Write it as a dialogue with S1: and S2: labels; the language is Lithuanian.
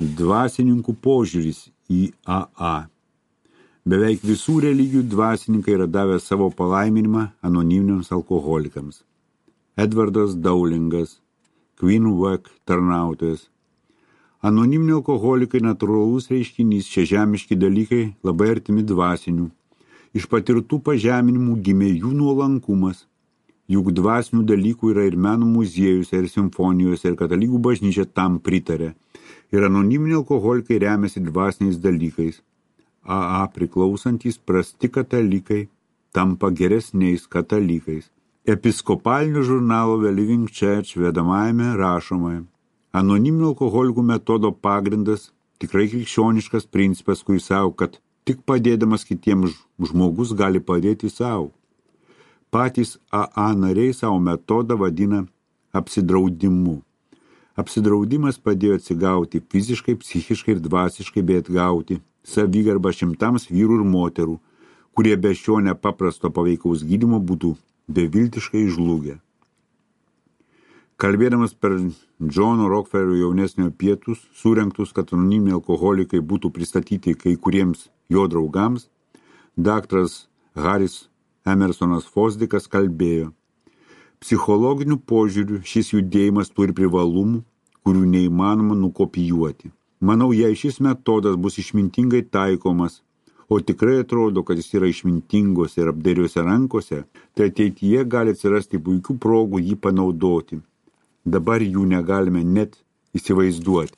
S1: Dvasininkų požiūris į AA. Beveik visų religijų dvasininkai yra davę savo palaiminimą anoniminiams alkoholikams. Edvardas Dowlingas, Queenweg tarnautojas. Anoniminiai alkoholikai natūralus reiškinys, šie žemiški dalykai labai artimi dvasinių. Iš patirtų pažeminimų gimė jų nuolankumas. Juk dvasinių dalykų yra ir meno muziejus, ir simfonijos, ir katalikų bažnyčia tam pritarė. Ir anoniminiai alkoholikai remiasi dvasiniais dalykais. AA priklausantys prasti katalikai tampa geresniais katalikais. Episkopalinio žurnalo The Living Church vedamajame rašomai. Anoniminių alkoholikų metodo pagrindas tikrai krikščioniškas principas, kuris sako, kad tik padėdamas kitiems žmogus gali padėti savo. Patys AA nariai savo metodą vadina apsidraudimu. Apsidraudimas padėjo atsigauti fiziškai, psichiškai ir dvasiškai, bei atgauti savigarbą šimtams vyrų ir moterų, kurie be šio nepaprasto paveikaus gydymo būtų beviltiškai žlugę. Kalbėdamas per Džono Rockefellerio jaunesniojo pietus, surengtus, kad anoniminiai alkoholikai būtų pristatyti kai kuriems jo draugams, daktaras Haris Emersonas Fosdikas kalbėjo: psichologiniu požiūriu šis judėjimas turi privalumų, kurių neįmanoma nukopijuoti. Manau, jei šis metodas bus išmintingai taikomas, o tikrai atrodo, kad jis yra išmintingose ir apdairiuose rankose, tai ateityje gali atsirasti puikių progų jį panaudoti. Dabar jų negalime net įsivaizduoti.